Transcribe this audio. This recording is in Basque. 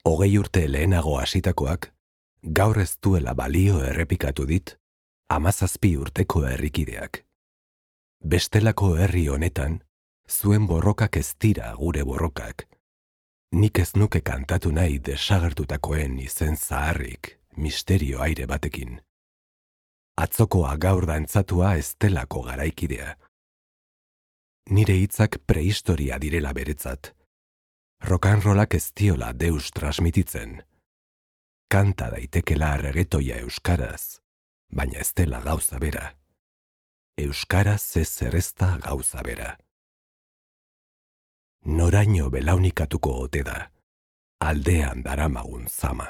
20 urte lehenago hasitakoak, gaur ez duela balio errepikatu dit 17 urteko herrikideak. Bestelako herri honetan, zuen borrokak ez dira gure borrokak. Nik ez nuke kantatu nahi desagertutakoen izen zaharrik, misterio aire batekin. Atzokoa gaur dantzatua ez delako garaikidea. Nire hitzak prehistoria direla beretzat. Rock'n'rollak ez diola deus transmititzen. Kanta daitekela reggaetoia euskaraz, baina ez dela gauza bera. Euskaraz ez errezta gauza bera. Noraino belaunikatuko ote da, aldean daramagun zama.